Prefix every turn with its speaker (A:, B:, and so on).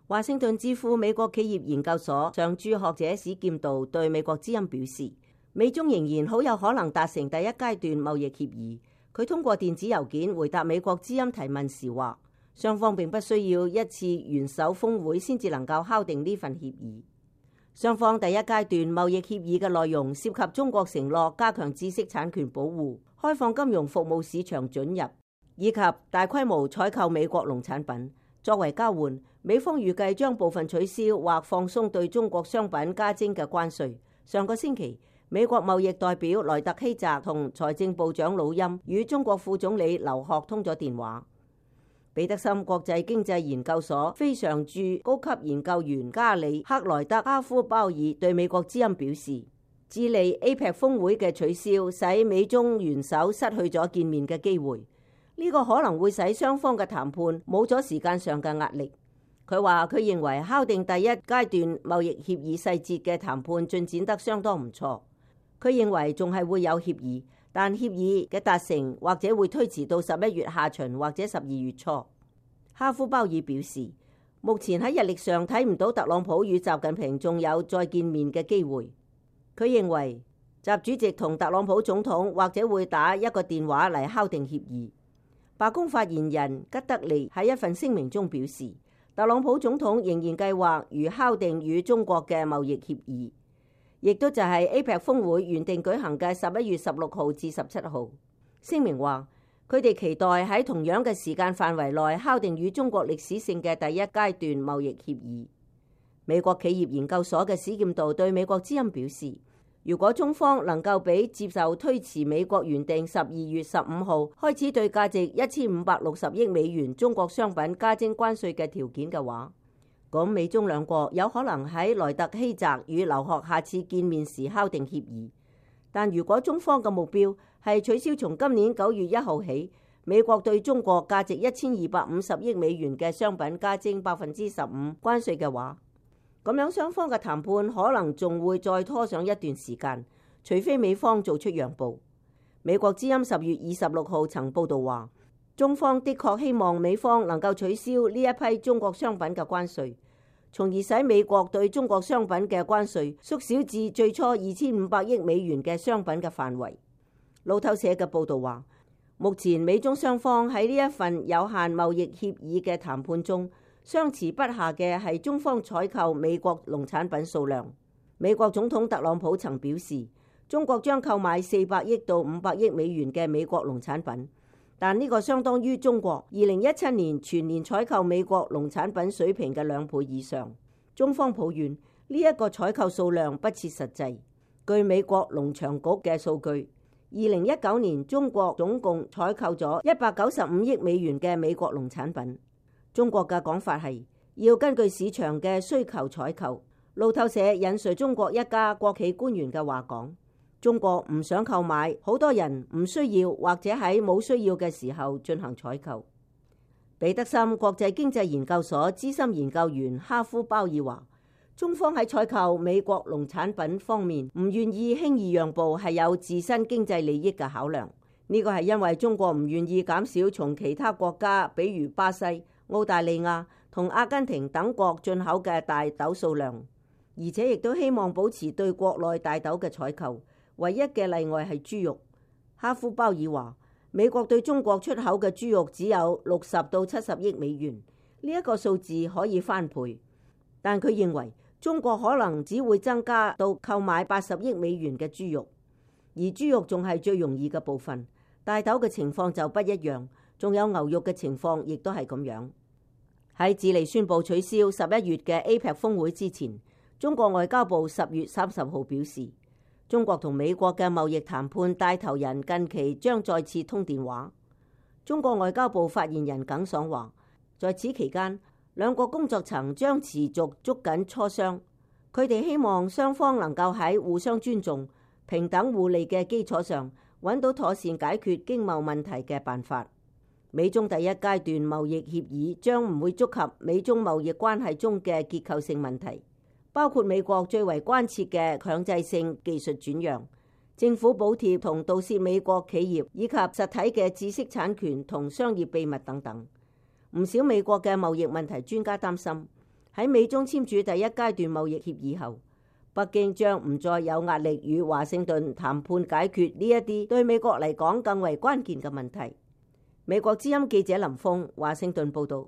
A: 華盛頓智庫美國企業研究所常駐學者史劍道對美國之音表示，美中仍然好有可能達成第一階段貿易協議。佢通過電子郵件回答美國之音提問時話，雙方並不需要一次元首峰會先至能夠敲定呢份協議。雙方第一階段貿易協議嘅內容涉及中國承諾加強知識產權保護、開放金融服務市場准入，以及大規模採購美國農產品。作為交換，美方預計將部分取消或放鬆對中國商品加徵嘅關稅。上個星期，美國貿易代表萊特希澤同財政部長魯欽與中國副總理劉鶴通咗電話。彼得森國際經濟研究所非常駐高級研究員加里克萊德哈夫鮑爾對美國之音表示，智利 APEC 峰會嘅取消使美中元首失去咗見面嘅機會。呢個可能會使雙方嘅談判冇咗時間上嘅壓力。佢話佢認為敲定第一階段貿易協議細節嘅談判進展得相當唔錯。佢認為仲係會有協議，但協議嘅達成或者會推遲到11月下旬或者12月初。哈夫鮑爾表示，目前喺日曆上睇唔到特朗普與習近平仲有再見面嘅機會。佢認為習主席同特朗普總統或者會打一個電話嚟敲定協議。白宮發言人吉德利喺一份聲明中表示，特朗普總統仍然計劃如敲定與中國嘅貿易協議，亦都就係 APEC 峰會原定舉行嘅11月16號至17號。聲明話，佢哋期待喺同樣嘅時間範圍內敲定與中國歷史性嘅第一階段貿易協議。美國企業研究所嘅史劍道對美國之音表示，如果中方能夠比接受推遲美國原定12月15號開始對價值1560億美元中國商品加徵關稅嘅條件嘅話，咁美中兩國有可能喺萊特希澤與劉鶴下次見面時敲定協議。但如果中方嘅目標係取消從今年9月1號起美國對中國價值1250億美元嘅商品加徵15%關稅嘅話，咁樣雙方嘅談判可能仲會再拖上一段時間，除非美方做出讓步。美國之音10月26號曾報道話，中方的確希望美方能夠取消呢一批中國商品嘅關稅，從而使美國對中國商品嘅關稅縮小至最初2500億美元嘅商品嘅範圍。路透社嘅報道話，目前美中雙方喺呢一份有限貿易協議嘅談判中，相持不下嘅係中方採購美國農產品數量。美國總統特朗普曾表示，中國將購買400億到500億美元嘅美國農產品，但呢個相當於中國2017年全年採購美國農產品水平嘅2倍以上。中方抱怨呢一個採購數量不切實際。據美國農場局嘅數據，2019年中國總共採購咗195億美元嘅美國農產品。中國嘅講法係要根據市場嘅需求採購。路透社引述中國一家國企官員嘅話講，中國唔想購買，好多人唔需要或者喺冇需要嘅時候進行採購。彼得森國際經濟研究所資深研究員哈夫鮑爾話，中方喺採購美國農產品方面唔願意輕易讓步，係有自身經濟利益嘅考量。呢個係因為中國唔願意減少從其他國家，比如巴西、澳大利亞同阿根廷等國進口嘅大豆數量，而且亦都希望保持對國內大豆嘅採購。唯一嘅例外係豬肉。哈夫鮑爾話，美國對中國出口嘅豬肉只有60到70億美元，呢一個數字可以翻倍，但佢認為中國可能只會增加到購買80億美元嘅豬肉，而豬肉仲係最容易嘅部分。大豆嘅情況就不一樣，仲有牛肉嘅情況亦都係咁樣。喺智利宣布取消11月嘅 APEC 峰會之前，中國外交部10月30號表示，中國同美國嘅貿易談判帶頭人近期將再次通電話。中國外交部發言人耿爽話，在此期間，兩國工作層將持續捉緊磋商，佢哋希望雙方能夠喺互相尊重、平等互利嘅基礎上，揾到妥善解決經貿問題嘅辦法。美中第一階段貿易協議將唔會觸及美中貿易關係中嘅結構性問題，包括美國最為關切嘅強制性技術轉讓、政府補貼同盜竊美國企業以及實體嘅知識產權同商業秘密等等。唔少美國嘅貿易問題專家擔心，喺美中簽署第一階段貿易協議後，北京將唔再有壓力與華盛頓談判解決呢一啲對美國嚟講更為關鍵嘅問題。美國之音記者林峰華盛頓報道。